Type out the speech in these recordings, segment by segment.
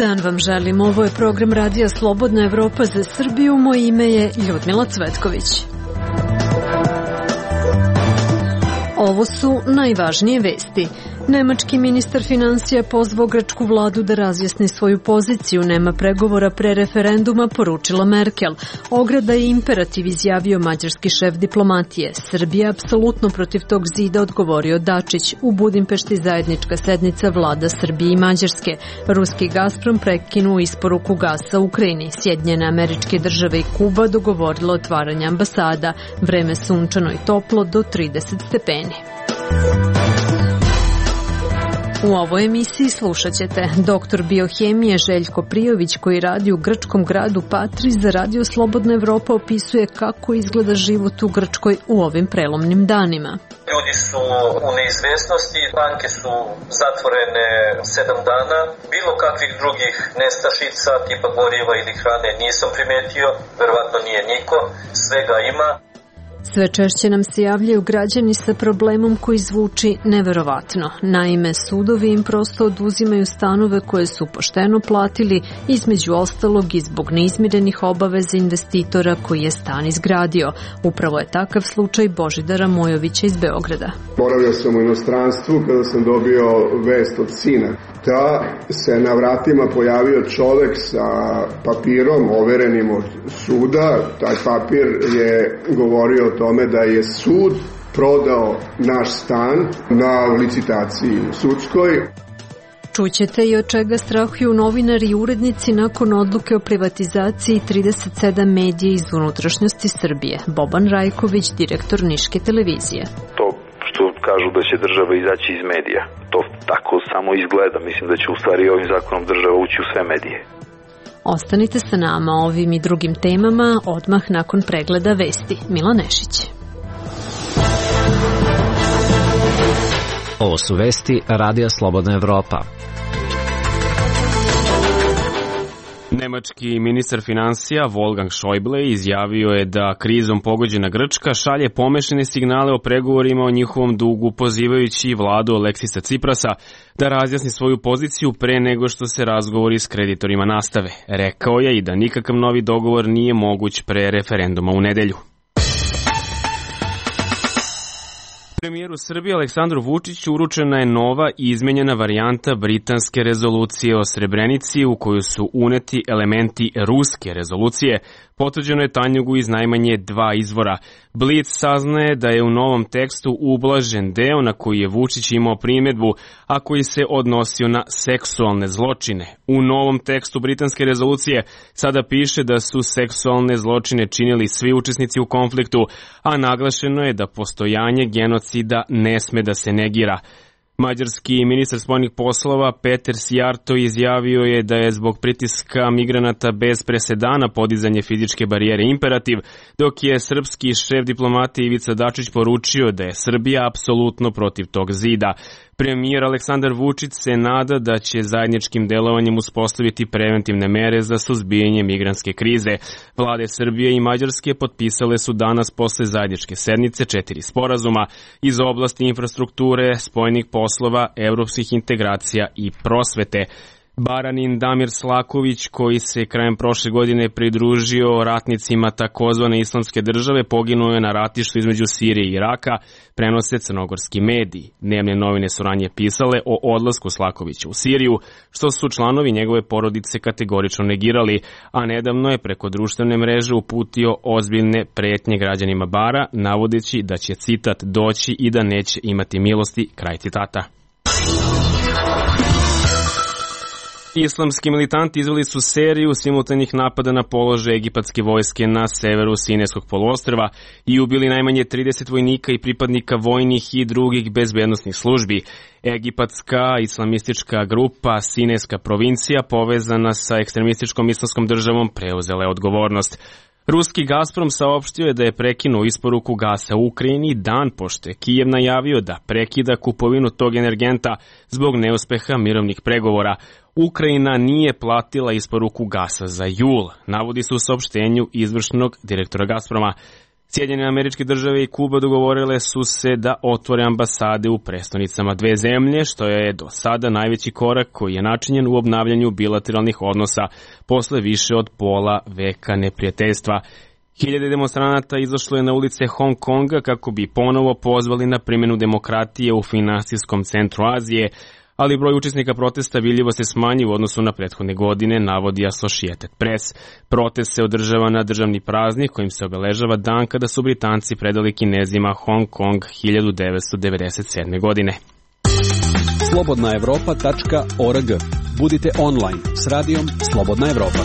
dan vam želim. Ovo je program Radija Slobodna Evropa za Srbiju. Moje ime je Ljudmila Cvetković. Ovo su najvažnije vesti. Nemački ministar finansija pozvao grčku vladu da razjasni svoju poziciju. Nema pregovora pre referenduma, poručila Merkel. Ograda je imperativ, izjavio mađarski šef diplomatije. Srbija apsolutno protiv tog zida, odgovorio Dačić. U Budimpešti zajednička sednica vlada Srbije i Mađarske. Ruski Gazprom prekinuo isporuku gasa u Ukrajini. Sjedinjene Američke Države i Kuba dogovorilo otvaranje ambasada. Vreme sunčano i toplo do 30 stepeni. U ovoj emisiji slušat ćete doktor biohemije Željko Prijović, koji radi u grčkom gradu Patri za Radio Slobodna Evropa, opisuje kako izgleda život u Grčkoj u ovim prelomnim danima. Ljudi su u neizvesnosti, banke su zatvorene 7 dana, bilo kakvih drugih nestašica tipa goriva ili hrane nisam primetio, verovatno nije niko, svega ima. Sve češće nam se javljaju građani sa problemom koji zvuči neverovatno. Naime, sudovi im prosto oduzimaju stanove koje su pošteno platili, između ostalog i zbog neizmirenih obaveza investitora koji je stan izgradio. Upravo je takav slučaj Božidara Mojovića iz Beograda. Boravio sam u inostranstvu kada sam dobio vest od sina da se na vratima pojavio čovek sa papirom overenim od suda. Taj papir je govorio o tome da je sud prodao naš stan na licitaciji sudskoj. Čućete i od čega strahuju novinari i urednici nakon odluke o privatizaciji 37 medija iz unutrašnjosti Srbije. Boban Rajković, direktor Niške televizije. To što kažu da će država izaći iz medija, to tako samo izgleda. Mislim da će u stvari ovim zakonom država ući u sve medije. Ostanite sa nama o ovim i drugim temama odmah nakon pregleda vesti. Mila Nešić. Ovo su vesti Radija Slobodna Evropa. Nemački ministar finansija Wolfgang Schäuble izjavio je da krizom pogođena Grčka šalje pomešane signale o pregovorima o njihovom dugu, pozivajući vladu Aleksisa Ciprasa da razjasni svoju poziciju pre nego što se razgovori s kreditorima nastave. Rekao je i da nikakav novi dogovor nije moguć pre referenduma u nedelju. Premijeru Srbije Aleksandru Vučiću uručena je nova i izmenjena varijanta britanske rezolucije o Srebrenici u koju su uneti elementi ruske rezolucije. Potvrđeno je Tanjugu iz najmanje 2 izvora. Blic saznaje da je u novom tekstu ublažen deo na koji je Vučić imao primjedbu, a koji se odnosio na seksualne zločine. U novom tekstu britanske rezolucije sada piše da su seksualne zločine činili svi učesnici u konfliktu, a naglašeno je da postojanje genocida ne sme da se negira. Mađarski ministar spoljnih poslova Peter Sijarto izjavio je da je zbog pritiska migranata bez presedana podizanje fizičke barijere imperativ, dok je srpski šef diplomatije Ivica Dačić poručio da je Srbija apsolutno protiv tog zida. Premijer Aleksandar Vučić se nada da će zajedničkim delovanjem uspostaviti preventivne mere za suzbijanje migrantske krize. Vlade Srbije i Mađarske potpisale su danas posle zajedničke sednice 4 sporazuma iz oblasti infrastrukture, spoljnih poslova, evropskih integracija i prosvete. Baranin Damir Slaković, koji se krajem prošle godine pridružio ratnicima takozvane islamske države, poginuo je na ratištu između Sirije i Iraka, prenose crnogorski mediji. Dnevne novine su ranije pisale o odlasku Slakovića u Siriju, što su članovi njegove porodice kategorično negirali, a nedavno je preko društvene mreže uputio ozbiljne pretnje građanima Bara, navodeći da će, citat, doći i da neće imati milosti, kraj citata. Islamski militanti izveli su seriju simultanih napada na položaje egipatske vojske na severu Sinajskog poluostrva i ubili najmanje 30 vojnika i pripadnika vojnih i drugih bezbednosnih službi. Egipatska islamistička grupa Sinajska provincija, povezana sa ekstremističkom islamskom državom, preuzela je odgovornost. Ruski Gazprom saopštio je da je prekinuo isporuku gasa u Ukrajini dan pošto je Kijev najavio da prekida kupovinu tog energenta zbog neuspeha mirovnih pregovora. Ukrajina nije platila isporuku gasa za jul, navodi se u saopštenju izvršnog direktora Gazproma. Sjedinjene Američke Države i Kuba dogovorile su se da otvore ambasade u prestonicama dve zemlje, što je do sada najveći korak koji je načinjen u obnavljanju bilateralnih odnosa posle više od pola veka neprijateljstva. Hiljade demonstranata izašlo je na ulice Hong Konga kako bi ponovo pozvali na primjenu demokratije u finansijskom centru Azije, ali broj učesnika protesta vidljivo se smanji u odnosu na prethodne godine, navodi Associated Press. Protest se održava na državni praznik kojim se obeležava dan kada su Britanci predali Kinezima Hong Kong 1997. godine. slobodnaevropa.org. Budite online s radijom Slobodna Evropa.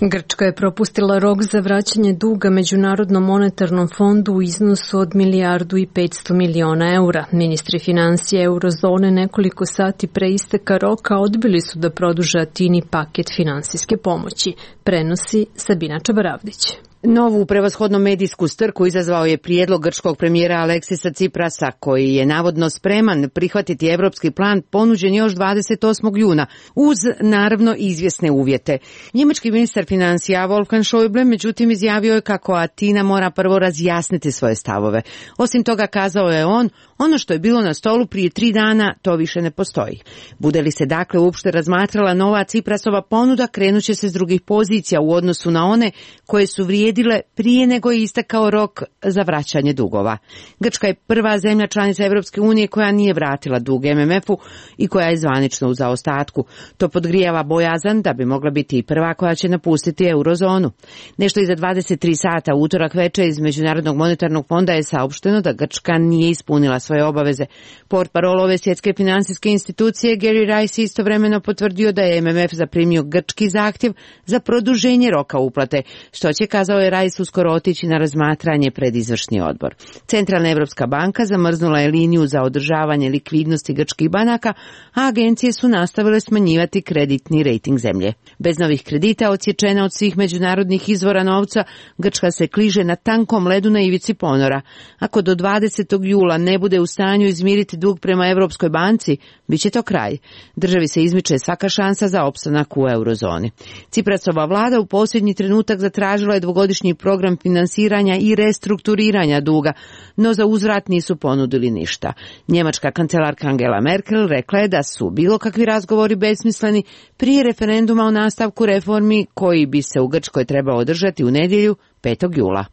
Grčka je propustila rok za vraćanje duga Međunarodnom monetarnom fondu u iznosu od 1,5 milijardi eura. Ministri financija eurozone nekoliko sati pre isteka roka odbili su da produže Atini paket finansijske pomoći. Prenosi Sabina Čabaravdić. Novu prevashodno medijsku strku izazvao je prijedlog grčkog premijera Aleksisa Ciprasa, koji je navodno spreman prihvatiti evropski plan ponuđen još 28. juna, uz naravno izvjesne uvjete. Njemački ministar financija Wolfgang Schäuble međutim izjavio je kako Atina mora prvo razjasniti svoje stavove. Osim toga, kazao je on, ono što je bilo na stolu prije 3 dana, to više ne postoji. Bude li se dakle uopšte razmatrala nova Ciprasova ponuda, krenuće se s drugih pozicija u odnosu na one koje su vrijedile prije nego je istekao rok za vraćanje dugova. Grčka je prva zemlja članica Evropske unije koja nije vratila dug MMF-u i koja je zvanično u zaostatku. To podgrijava bojazan da bi mogla biti i prva koja će napustiti eurozonu. Nešto iza 23 sata utorak veče iz Međunarodnog monetarnog fonda je saopšteno da Grčka nije ispunila svoje obaveze. Portparol ove svjetske finansijske institucije Gary Rice istovremeno potvrdio da je MMF zaprimio grčki zahtjev za produženje roka uplate, što će, kazao je Rice, uskoro otići na razmatranje pred izvršni odbor. Centralna Evropska banka zamrznula je liniju za održavanje likvidnosti grčkih banaka, a agencije su nastavile smanjivati kreditni rejting zemlje. Bez novih kredita, odsječena od svih međunarodnih izvora novca, Grčka se kliže na tankom ledu na ivici ponora. Ako do 20. jula ne bude u stanju izmiriti dug prema Evropskoj banci, bit će to kraj. Državi se izmiče svaka šansa za opstanak u eurozoni. Ciprasova vlada u posljednji trenutak zatražila je dvogodišnji program finansiranja i restrukturiranja duga, no za uzvrat nisu ponudili ništa. Njemačka kancelarka Angela Merkel rekla je da su bilo kakvi razgovori besmisleni prije referenduma o nastavku reformi koji bi se u Grčkoj trebao održati u nedjelju 5. jula.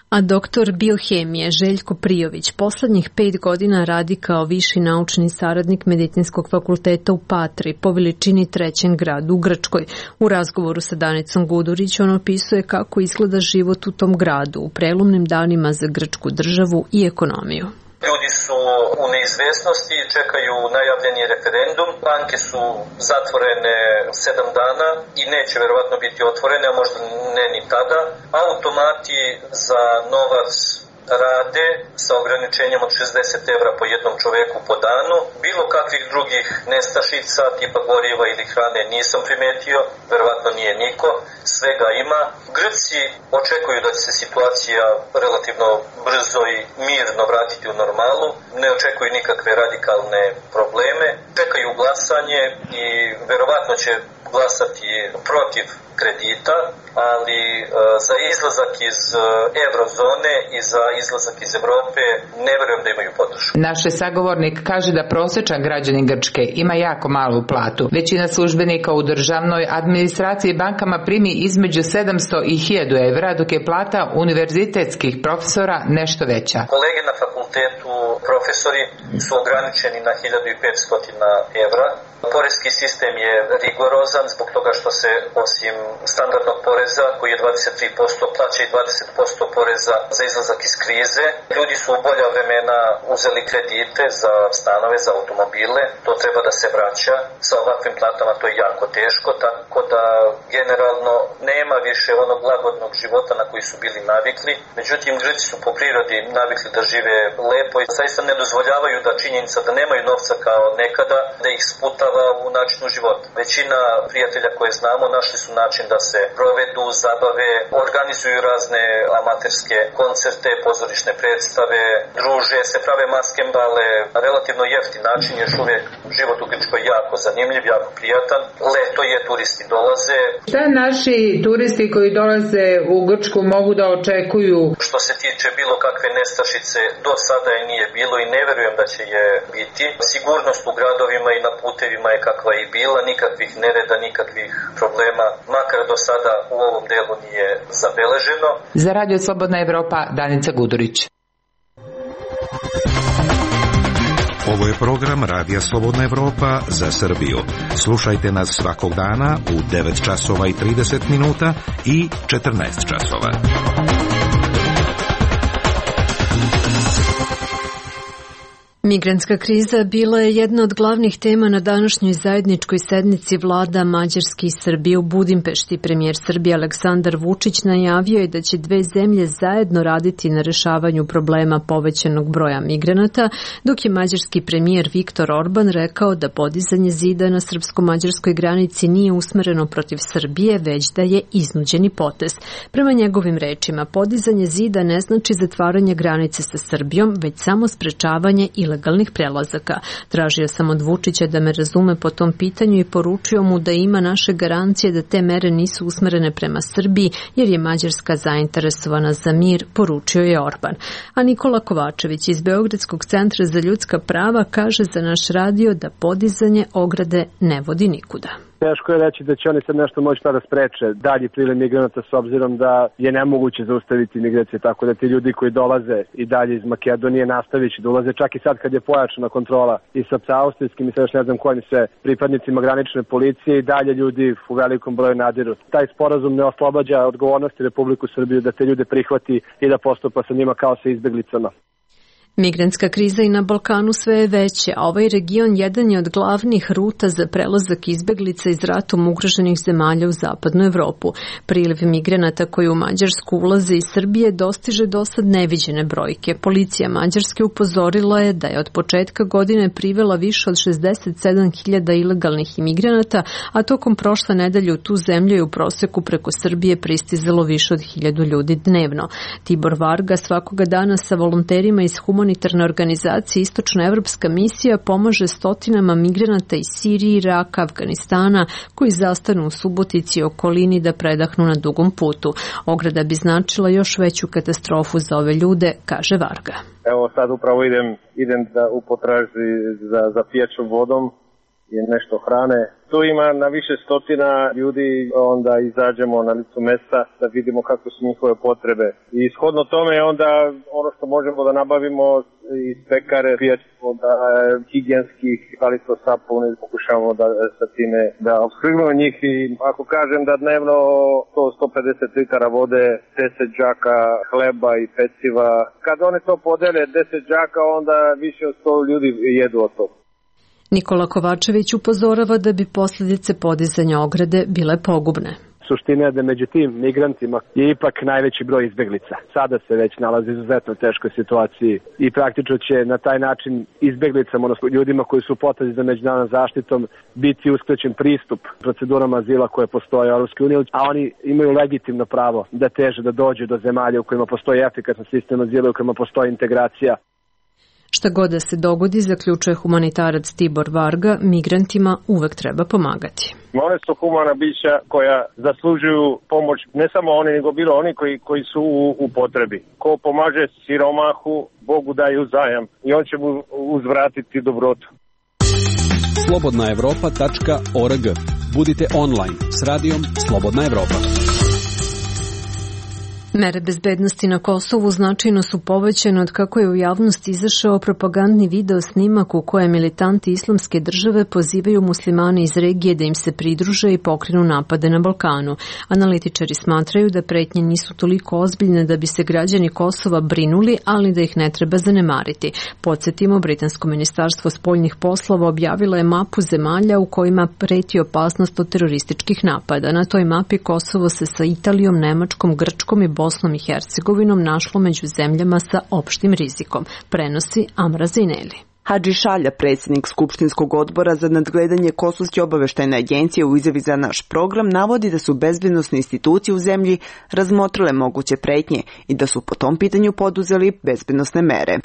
A doktor biohemije Željko Prijović poslednjih 5 godina radi kao viši naučni saradnik Medicinskog fakulteta u Patri, po veličini 3. gradu u Grčkoj. U razgovoru sa Danicom Gudurić on opisuje kako izgleda život u tom gradu u prelomnim danima za grčku državu i ekonomiju. Ljudi su u neizvesnosti, čekaju najavljeni referendum, banke su zatvorene 7 dana i neće verovatno biti otvorene, a možda ne ni tada. Automati za novac rade sa ograničenjem od 60 evra po jednom čoveku po danu. Bilo kakvih drugih nestašica, tipa goriva ili hrane nisam primetio, verovatno nije niko, svega ima. Grci očekuju da će se situacija relativno brzo i mirno vratiti u normalu, ne očekuju nikakve radikalne probleme, čekaju glasanje i verovatno će glasati protiv kredita, ali za izlazak iz eurozone i za izlazak iz Evrope ne verujem da imaju podršku. Naš sagovornik kaže da prosječan građanin Grčke ima jako malu platu. Većina službenika u državnoj administraciji i bankama primi između 700 i 1000 evra, dok je plata univerzitetskih profesora nešto veća. Kolege na fakultetu, profesori, su ograničeni na 1500 evra. Poreski sistem je rigorozan zbog toga što se osim standardnog poreza koji je 23% plaća i 20% poreza za izlazak iz krize. Ljudi su u bolja vremena uzeli kredite za stanove, za automobile, to treba da se vraća. Sa ovakvim platama to je jako teško, tako da generalno nema više onog lagodnog života na koji su bili navikli. Međutim, Grci su po prirodi navikli da žive lepo i zaista ne dozvoljavaju da činjenica da nemaju novca kao nekada, da ih sputava u načinu života. Većina prijatelja koje znamo našli su način da se provedu, zabave, organizuju razne amaterske koncerte, pozorišne predstave, druže se, prave maskembale, relativno jeftin način, još uvijek život u Grčkoj jako zanimljiv, jako prijatan. Leto je, turisti dolaze. Šta naši turisti koji dolaze u Grčku mogu da očekuju? Što se tiče bilo kakve nestašice, do sada je nije bilo i ne verujem da će je biti. Sigurnost u gradovima i na putevima je kakva i bila, nikakvih nereda, nikakvih problema, makar do sada u ovom delu nije zabeleženo. Za Radio Slobodna Evropa, Danica Gudurić. Ovo je program Radija Slobodna Evropa za Srbiju. Slušajte nas svakog dana u 9 časova i 30 minuta i 14 časova. Migrantska kriza bila je jedna od glavnih tema na današnjoj zajedničkoj sednici vlada Mađarske i Srbije u Budimpešti. Premijer Srbije Aleksandar Vučić najavio je da će dve zemlje zajedno raditi na rešavanju problema povećanog broja migranata, dok je mađarski premijer Viktor Orban rekao da podizanje zida na srpsko-mađarskoj granici nije usmereno protiv Srbije, već da je iznuđeni potez. Prema njegovim rečima, podizanje zida ne znači zatvaranje granice sa Srbijom, već samo sprečavanje ilegalnih prelazaka. Tražio sam od Vučića da me razume po tom pitanju i poručio mu da ima naše garancije da te mere nisu usmerene prema Srbiji, jer je Mađarska zainteresovana za mir, poručio je Orban. A Nikola Kovačević iz Beogradskog centra za ljudska prava kaže za naš radio da podizanje ograde ne vodi nikuda. Teško je reći da će oni sad nešto moći da spreče dalji priliv migranata s obzirom da je nemoguće zaustaviti migracije, tako da ti ljudi koji dolaze i dalje iz Makedonije nastavit će da ulaze čak i sad kad je pojačana kontrola i sa austrijskim i sa još ne znam kojim se pripadnicima granične policije i dalje ljudi u velikom broju nadiru. Taj sporazum ne oslobađa odgovornosti Republiku Srbiju da te ljude prihvati i da postupa sa njima kao sa izbeglicama. Migrantska kriza i na Balkanu sve je veća, a ovaj region jedan je od glavnih ruta za prelazak izbeglica iz ratom ugroženih zemalja u zapadnu Evropu. Priliv migranata koji u Mađarsku ulaze iz Srbije dostiže dosad neviđene brojke. Policija Mađarske upozorila je da je od početka godine privela više od 67.000 ilegalnih imigranata, a tokom prošle nedelje u tu zemlju je u proseku preko Srbije pristizalo više od 1000 ljudi dnevno. Tibor Varga svakoga dana sa volonterima iz humanitarne organizacije Istočna evropska misija pomaže stotinama migranata iz Sirije, Iraka, Afganistana koji zastanu u Subotici i okolini da predahnu na dugom putu. Ograda bi značila još veću katastrofu za ove ljude, kaže Varga. Evo sad upravo idem u potražnji za pijaćom vodom i nešto hrane. Tu ima na više stotina ljudi, onda izađemo na licu mesta da vidimo kakve su njihove potrebe. I shodno tome onda ono što možemo da nabavimo iz pekare, pijaćih voda, higijenskih, palico sapune, pokušavamo da sa time da opskrbimo njih. I ako kažem da dnevno 150 litara vode, 10 džaka hleba i peciva, kad oni to podele 10 džaka, onda više od 100 ljudi jedu od toga. Nikola Kovačević upozorava da bi posljedice podizanja ograde bile pogubne. Suština je da među tim migrantima je ipak najveći broj izbeglica. Sada se već nalazi u izuzetno teškoj situaciji i praktično će na taj način izbeglicama, odnosno ljudima koji su u potrazi za međunarodnom zaštitom, biti uskraćen pristup procedurama azila koje postoje u Europskoj uniji, a oni imaju legitimno pravo da teže da dođu do zemalja u kojima postoji efikasan sistem azila, u kojima postoji integracija. Šta god da se dogodi, zaključuje humanitarac Tibor Varga, migrantima uvek treba pomagati. One su humana bića koja zaslužuju pomoć, ne samo oni, nego bilo oni koji su u potrebi. Ko pomaže siromahu, Bogu daje uzajam i on će mu uzvratiti dobrotu. slobodnaevropa.org. Budite online s radijom Slobodna Evropa. Mere bezbednosti na Kosovu značajno su povećane od kako je u javnost izašao propagandni video snimak u kojem militanti Islamske države pozivaju muslimane iz regije da im se pridruže i pokrenu napade na Balkanu. Analitičari smatraju da pretnje nisu toliko ozbiljne da bi se građani Kosova brinuli, ali da ih ne treba zanemariti. Podsjetimo, Britansko ministarstvo spoljnih poslova objavilo je mapu zemalja u kojima preti opasnost od terorističkih napada. Na toj mapi Kosovo se sa Italijom, Nemačkom, Grčkom i Bosnom i Hercegovinom našlo među zemljama sa opštim rizikom, prenosi Amra Zineli. Hadži Šalja, predsjednik Skupštinskog odbora za nadgledanje Kosovske obaveštajne agencije u izjavi za naš program, navodi da su bezbednosne institucije u zemlji razmotrile moguće pretnje i da su po tom pitanju poduzeli bezbednosne mere.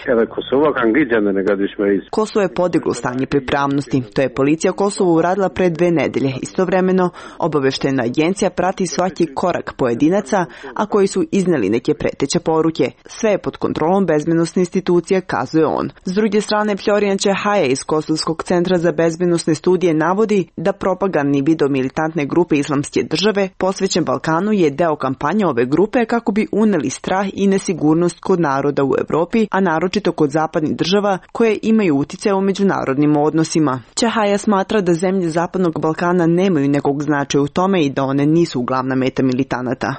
Kosovo je podiglo stanje pripravnosti. To je policija Kosova uradila pre 2 nedelje. Istovremeno, obaveštajna agencija prati svaki korak pojedinaca, a koji su izneli neke preteće poruke. Sve je pod kontrolom bezbednosne institucije, kazuje on. S druge strane, Florian Čehaja iz Kosovskog centra za bezbednosne studije navodi da propagandni video militantne grupe Islamske države posvećen Balkanu je deo kampanje ove grupe kako bi uneli strah i nesigurnost kod naroda u Evropi, a naročito kod zapadnih država koje imaju uticaj u međunarodnim odnosima. Čehaja smatra da zemlje Zapadnog Balkana nemaju nekog značaja u tome i da one nisu glavna meta militanata.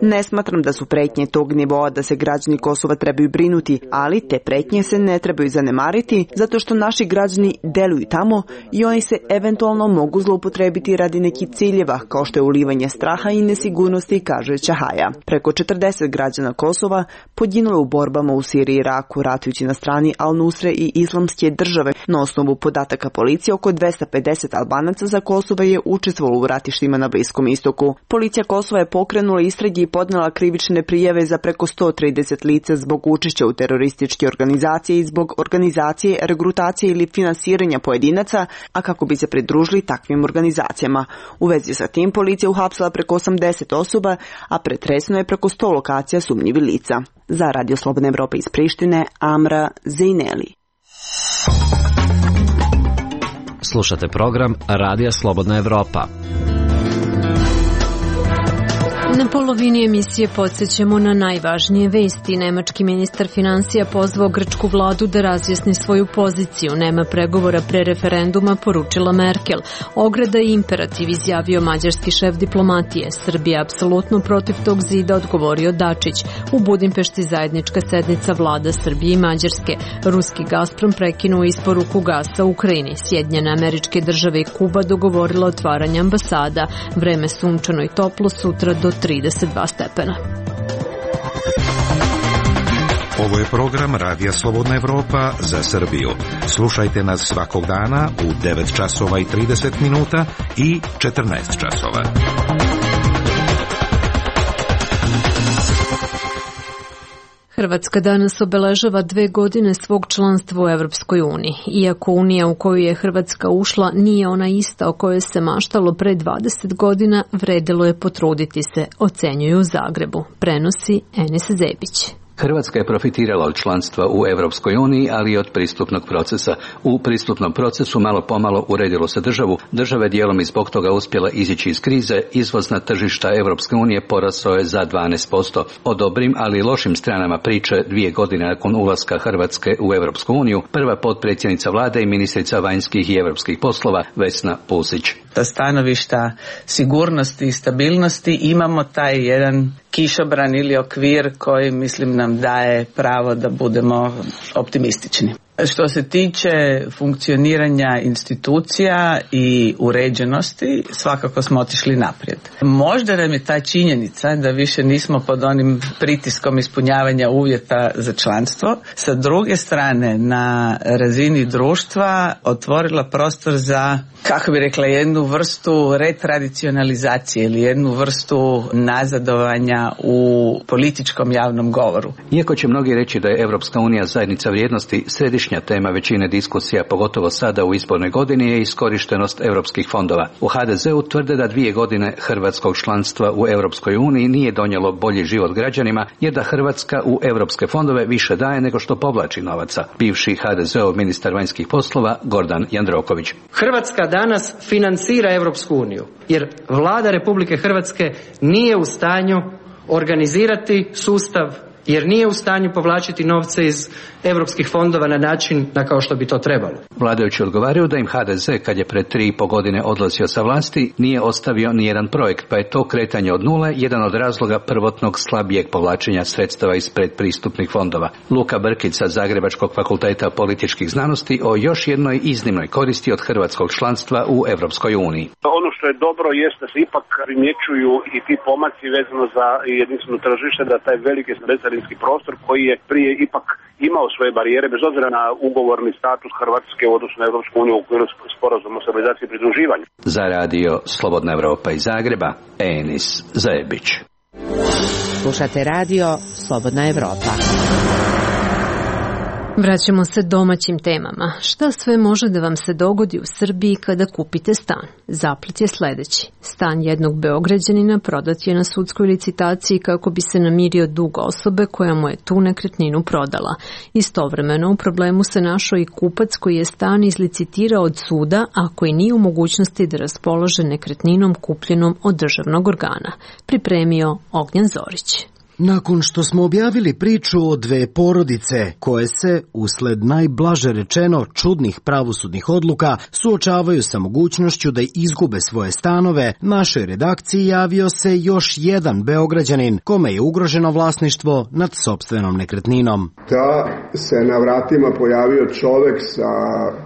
Ne smatram da su pretnje tog nivoa da se građani Kosova trebaju brinuti, ali te pretnje se ne trebaju zanemariti zato što naši građani deluju tamo i oni se eventualno mogu zloupotrebiti radi nekih ciljeva kao što je ulivanje straha i nesigurnosti, kaže Čahaja. Preko 40 građana Kosova poginulo u borbama u Siriji i Iraku ratujući na strani Al-Nusre i Islamske države. Na osnovu podataka policije, oko 250 Albanaca za Kosova je učestvovalo u ratištima na Bliskom istoku. Policija Kosova je pokrenula istrage i podnela krivične prijave za preko 130 lica zbog učešća u terorističke organizacije i zbog organizacije, regrutacije ili finansiranja pojedinaca, a kako bi se pridružili takvim organizacijama. U vezi sa tim policija uhapsila preko 80 osoba, a pretresno je preko 100 lokacija sumnjivih lica. Za Radio Slobodna Evropa iz Prištine, Amra Zineli. Slušate program Radija Slobodna Evropa. Na polovini emisije podsjećamo na najvažnije vesti. Nemački ministar finansija pozvao grčku vladu da razjasni svoju poziciju. Nema pregovora pre referenduma, poručila Merkel. Ograda i imperativ, izjavio mađarski šef diplomatije. Srbija apsolutno protiv tog zida, odgovorio Dačić. U Budimpešti zajednička sednica vlada Srbije i Mađarske. Ruski Gazprom prekinuo isporuku gasa u Ukrajini. Sjedinjene Američke Države i Kuba dogovorila otvaranje ambasada. Vreme sunčano i toplo, sutra do 32 stepena. Ovo je program Radija Slobodna Evropa za Srbiju. Slušajte nas svakog dana u 9 časova i 30 minuta i 14 časova. Hrvatska danas obeležava 2 godine svog članstva u Evropskoj uniji. Iako Unija u koju je Hrvatska ušla nije ona ista o kojoj se maštalo pre 20 godina, vredilo je potruditi se, ocenjuju u Zagrebu, prenosi Enis Zebić. Hrvatska je profitirala od članstva u Evropskoj uniji, ali i od pristupnog procesa. U pristupnom procesu malo pomalo uredilo se državu. Država je dijelom i zbog toga uspjela izići iz krize. Izvoz na tržišta Evropske unije porasao je za 12%. O dobrim, ali i lošim stranama priče 2 godine nakon ulaska Hrvatske u Evropsku uniju, prva potpredsjednica vlade i ministrica vanjskih i europskih poslova Vesna Pusić. Sa stanovišta sigurnosti i stabilnosti imamo taj jedan kišobran ili okvir koji, mislim, nam daje pravo da budemo optimistični. Što se tiče funkcioniranja institucija i uređenosti, svakako smo otišli naprijed. Možda nam je ta činjenica da više nismo pod onim pritiskom ispunjavanja uvjeta za članstvo. Sa druge strane, na razini društva otvorila prostor za, kako bi rekla, jednu vrstu retradicionalizacije ili jednu vrstu nazadovanja u političkom javnom govoru. Iako će mnogi reći da je Evropska unija zajednica vrijednosti, središnja tema većine diskusija, pogotovo sada u izbornoj godini, je iskorištenost europskih fondova. U HDZ-u tvrde da 2 godine hrvatskog članstva u Europskoj uniji nije donijelo bolji život građanima, jer da Hrvatska u europske fondove više daje nego što povlači novaca. Bivši HDZ-ov ministar vanjskih poslova Gordan Jandroković. Hrvatska danas financira Europsku uniju, jer vlada Republike Hrvatske nije u stanju organizirati sustav jer nije u stanju povlačiti novce iz europskih fondova na način na kao što bi to trebalo. Vladajući odgovaraju da im HDZ, kad je pred 3,5 godine odlazio sa vlasti, nije ostavio ni jedan projekt, pa je to kretanje od nule jedan od razloga prvotnog slabijeg povlačenja sredstava iz predpristupnih fondova. Luka Brkić sa Zagrebačkog fakulteta političkih znanosti o još jednoj iznimnoj koristi od hrvatskog članstva u Europskoj uniji. Ono što je dobro jeste da se ipak primjećuju i ti pomaci vezano za jedinstveno tržište, da taj veliki bezcarinski prostor koji je prije ipak imao svoje barijere, bez obzira na ugovorni status Hrvatske u odnosu na Europsku uniju u okviru sporazuma o stabilizaciji i pridruživanju. Za radio Slobodna Evropa iz Zagreba, Enis Zajebić. Slušate radio Slobodna Evropa. Vraćamo se domaćim temama. Šta sve može da vam se dogodi u Srbiji kada kupite stan? Zaplet je sledeći. Stan jednog Beograđanina prodat je na sudskoj licitaciji kako bi se namirio dug osobe koja mu je tu nekretninu prodala. Istovremeno u problemu se našao i kupac koji je stan izlicitirao od suda, a koji nije u mogućnosti da raspolaže nekretninom kupljenom od državnog organa. Pripremio Ognjan Zorić. Nakon što smo objavili priču o dve porodice koje se, usled najblaže rečeno čudnih pravosudnih odluka, suočavaju sa mogućnošću da izgube svoje stanove, našoj redakciji javio se još jedan Beograđanin kome je ugroženo vlasništvo nad sopstvenom nekretninom. Da se na vratima pojavio čovek sa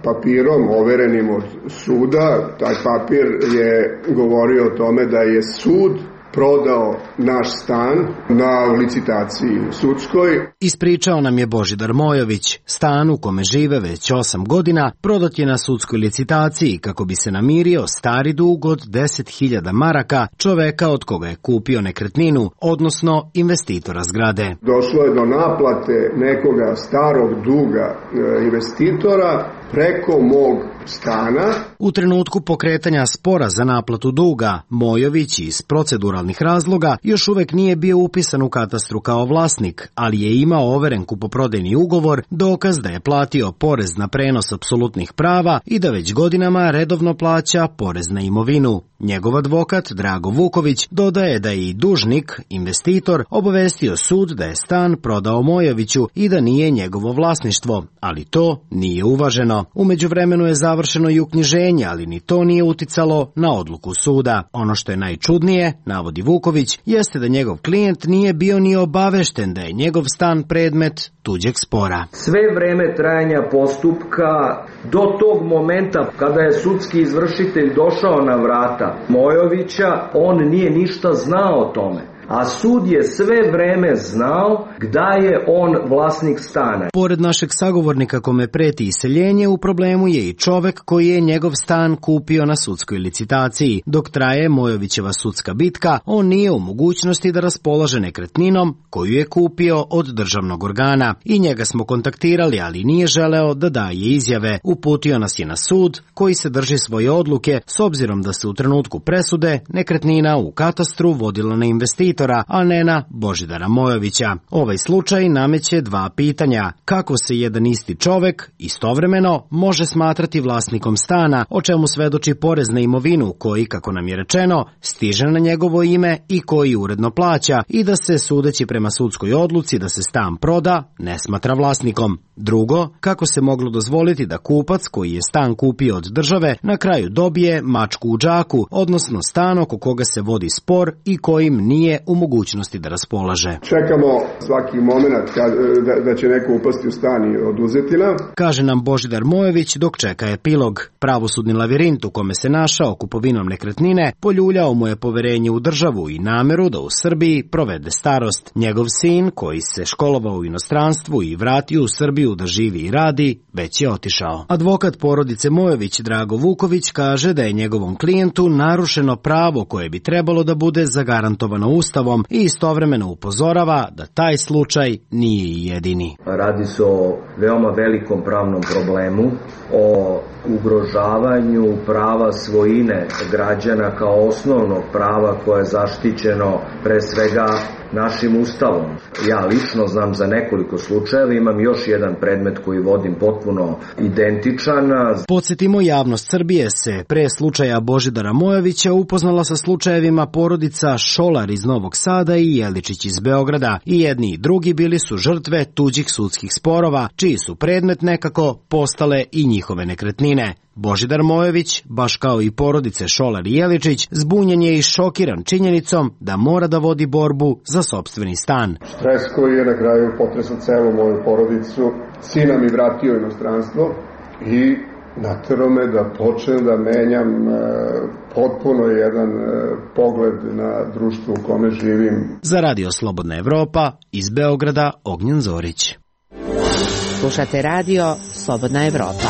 papirom overenim od suda. Taj papir je govorio o tome da je sud prodao naš stan na licitaciji sudskoj. Ispričao nam je Božidar Mojović. Stan u kome žive već 8 godina prodat je na sudskoj licitaciji kako bi se namirio stari dug od 10.000 maraka čoveka od koga je kupio nekretninu, odnosno investitora zgrade. Došlo je do naplate nekoga starog duga investitora preko mog stana. U trenutku pokretanja spora za naplatu duga, Mojović iz proceduralnih razloga još uvek nije bio upisan u katastru kao vlasnik, ali je imao overen kupoprodajni ugovor, dokaz da je platio porez na prenos apsolutnih prava i da već godinama redovno plaća porez na imovinu. Njegov advokat Drago Vuković dodaje da je i dužnik, investitor, obavestio sud da je stan prodao Mojoviću i da nije njegovo vlasništvo, ali to nije uvaženo. U međuvremenu je završeno i uknjiženje, ali ni to nije uticalo na odluku suda. Ono što je najčudnije, navodi Vuković, jeste da njegov klijent nije bio ni obavešten da je njegov stan predmet tuđeg spora. Sve vreme trajanja postupka do tog momenta kada je sudski izvršitelj došao na vrata Mojovića, on nije ništa znao o tome. A sud je sve vreme znao da je on vlasnik stana. Pored našeg sagovornika kome preti iseljenje, u problemu je i čovek koji je njegov stan kupio na sudskoj licitaciji. Dok traje Mojovićeva sudska bitka, on nije u mogućnosti da raspolaže nekretninom koju je kupio od državnog organa. I njega smo kontaktirali, ali nije želeo da daje izjave. Uputio nas je na sud koji se drži svoje odluke s obzirom da se u trenutku presude nekretnina u katastru vodila na investitora, a ne na Božidara Mojovića. Ovaj slučaj nameće dva pitanja. Kako se jedan isti čovek istovremeno može smatrati vlasnikom stana, o čemu svedoči porez na imovinu koji, kako nam je rečeno, stiže na njegovo ime i koji uredno plaća, i da se, sudeći prema sudskoj odluci da se stan proda, ne smatra vlasnikom. Drugo, kako se moglo dozvoliti da kupac koji je stan kupio od države na kraju dobije mačku u džaku, odnosno stan oko koga se vodi spor i kojim nije u mogućnosti da raspolaže. Čekamo svaki moment da će neko upasti u stan i oduzeti nam. Kaže nam Božidar Mojović dok čeka epilog. Pravosudni lavirint u kome se našao kupovinom nekretnine poljuljao mu je poverenje u državu i nameru da u Srbiji provede starost. Njegov sin, koji se školovao u inostranstvu i vratio u Srbiju da živi i radi, već je otišao. Advokat porodice Mojović Drago Vuković kaže da je njegovom klijentu narušeno pravo koje bi trebalo da bude zagarantovano Ustavom i istovremeno upozorava da taj slučaj nije jedini. Radi se o veoma velikom pravnom problemu, o ugrožavanju prava svojine građana kao osnovnog prava koje je zaštićeno pre svega našim ustavom. Ja lično znam za nekoliko slučajeva, imam još jedan predmet koji vodim potpuno identičan. Podsjetimo, javnost Srbije se pre slučaja Božidara Mojovića upoznala sa slučajevima porodica Šolar iz Novog Sada i Jeličić iz Beograda. I jedni i drugi bili su žrtve tuđih sudskih sporova, čiji su predmet nekako postale i njihove nekretnine. Božidar Mojović, baš kao i porodice Šolar i Jeličić, zbunjen je i šokiran činjenicom da mora da vodi borbu za sopstveni stan. Stres koji je na kraju potresao celu moju porodicu, sina mi vratio inostranstvo i naterao me da počnem da menjam potpuno jedan pogled na društvo u kome živim. Za Radio Slobodna Evropa, iz Beograda, Ognjen Zorić. Slušate Radio Slobodna Evropa.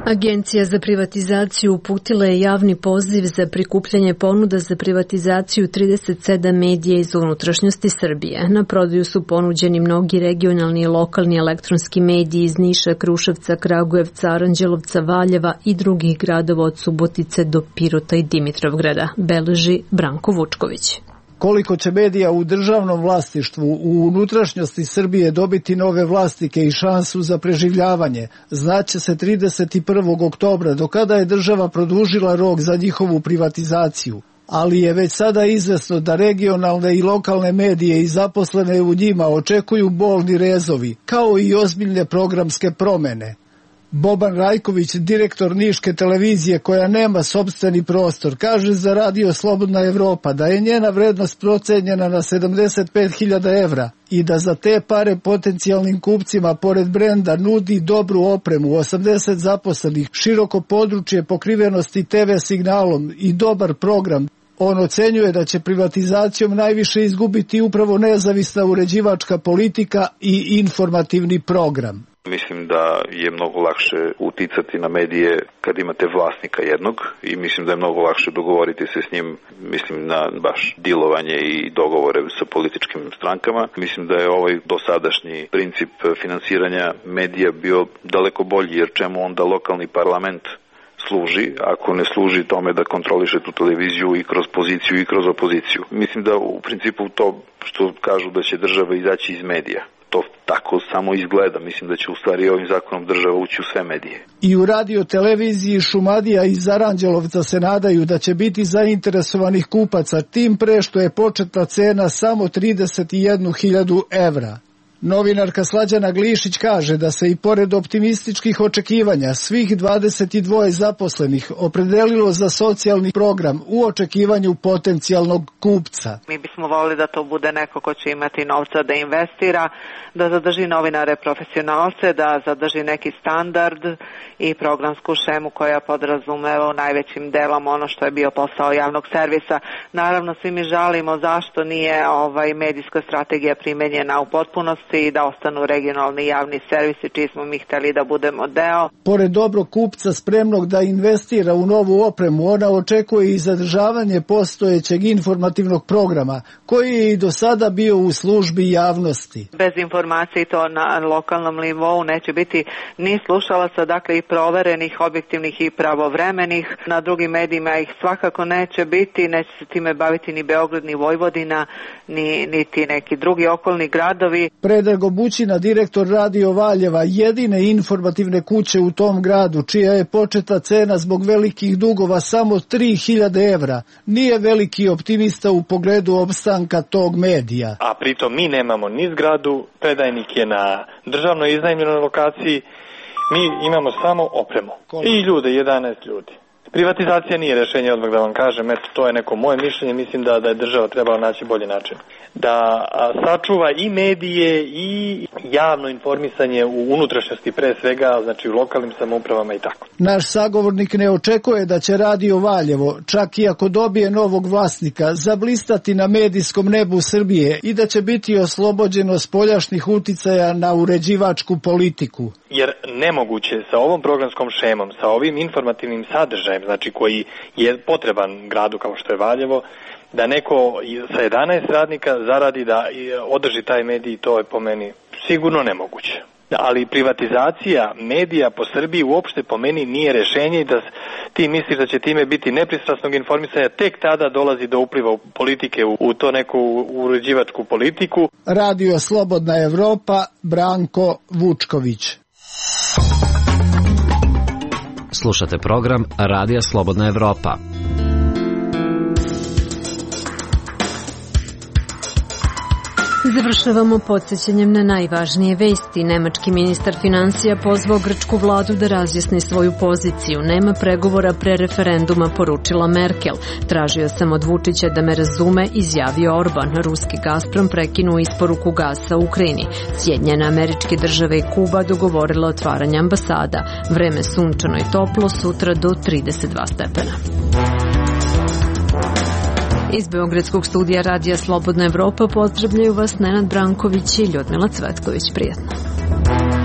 Agencija za privatizaciju uputila je javni poziv za prikupljanje ponuda za privatizaciju 37 medija iz unutrašnjosti Srbije. Na prodaju su ponuđeni mnogi regionalni i lokalni elektronski mediji iz Niša, Kruševca, Kragujevca, Aranđelovca, Valjeva i drugih gradova od Subotice do Pirota i Dimitrovgrada, beleži Branko Vučković. Koliko će medija u državnom vlasništvu u unutrašnjosti Srbije dobiti nove vlasnike i šansu za preživljavanje, znaće se 31. oktobra, do kada je država produžila rok za njihovu privatizaciju. Ali je već sada izvesno da regionalne i lokalne medije i zaposlene u njima očekuju bolni rezovi, kao i ozbiljne programske promene. Boban Rajković, direktor Niške televizije koja nema sopstveni prostor, kaže za Radio Slobodna Evropa da je njena vrednost procenjena na 75.000 evra i da za te pare potencijalnim kupcima pored brenda nudi dobru opremu, 80 zaposlenih, široko područje pokrivenosti TV signalom i dobar program. On ocenjuje da će privatizacijom najviše izgubiti upravo nezavisna uređivačka politika i informativni program. Mislim da je mnogo lakše uticati na medije kad imate vlasnika jednog i mislim da je mnogo lakše dogovoriti se s njim, mislim na baš dilovanje i dogovore sa političkim strankama. Mislim da je ovaj dosadašnji princip finansiranja medija bio daleko bolji, jer čemu onda lokalni parlament služi ako ne služi tome da kontroliše tu televiziju i kroz poziciju i kroz opoziciju. Mislim da u principu to što kažu da će država izaći iz medija, to tako samo izgleda. Mislim da će u stvari ovim zakonom država ući u sve medije. I u radio televiziji Šumadija iz Aranđelovca se nadaju da će biti zainteresovanih kupaca, tim pre što je početna cena samo 31.000 evra. Novinarka Slađana Glišić kaže da se i pored optimističkih očekivanja svih 22 zaposlenih opredelilo za socijalni program u očekivanju potencijalnog kupca. Mi bismo volili da to bude neko ko će imati novca da investira, da zadrži novinare profesionalce, da zadrži neki standard i programsku šemu koja podrazumeva u najvećim delom ono što je bio posao javnog servisa. Naravno, svi mi žalimo zašto nije medijska strategija primenjena u potpunosti i da ostanu regionalni javni servisi čiji smo mi hteli da budemo deo. Pored dobrog kupca spremnog da investira u novu opremu, ona očekuje i zadržavanje postojećeg informativnog programa koji je i do sada bio u službi javnosti. Bez informacije to na lokalnom nivou neće biti ni slušalaca, dakle i proverenih, objektivnih i pravovremenih. Na drugim medijima ih svakako neće biti, neće se time baviti ni Beograd, ni Vojvodina, niti neki drugi okolni gradovi. Predrag Obućina, direktor Radio Valjeva, jedine informativne kuće u tom gradu, čija je početna cena zbog velikih dugova samo 3.000 evra, nije veliki optimista u pogledu opstanka tog medija. A pritom mi nemamo ni zgradu, predajnik je na državnoj iznajmljenoj lokaciji, mi imamo samo opremu. I ljude, 11 ljudi. Privatizacija nije rešenje, odmah da vam kažem, to je neko moje mišljenje, mislim da je država trebala naći bolji način. Da sačuva i medije i javno informisanje u unutrašnjosti pre svega, znači u lokalnim samoupravama i tako. Naš sagovornik ne očekuje da će Radio Valjevo, čak i ako dobije novog vlasnika, zablistati na medijskom nebu Srbije i da će biti oslobođeno spoljašnjih uticaja na uređivačku politiku. Jer nemoguće sa ovom programskom šemom, sa ovim informativnim sadržajem, znači koji je potreban gradu kao što je Valjevo, da neko sa 11 radnika zaradi da održi taj medij, to je po meni sigurno nemoguće. ali privatizacija medija po Srbiji uopšte po meni nije rešenje i da ti misliš da će time biti nepristrasnog informisanja, tek tada dolazi do upliva politike u to neku uređivačku politiku. Radio Slobodna Evropa, Branko Vučković. Slušate program Radija Slobodna Evropa. Završavamo podsjećanjem na najvažnije vesti. Nemački ministar finansija pozvao grčku vladu da razjasni svoju poziciju. Nema pregovora pre referenduma, poručila Merkel. Tražio sam od Vučića da me razume, izjavio Orban. Ruski Gazprom prekinuo isporuku gasa u Ukrajini. Sjedinjene Američke Države i Kuba dogovorile otvaranje ambasada. Vreme sunčano i toplo, sutra do 32 stepena. Iz Beogradskog studija Radija Slobodna Evropa pozdravljaju vas Nenad Branković i Ljudmila Cvetković. Prijatno.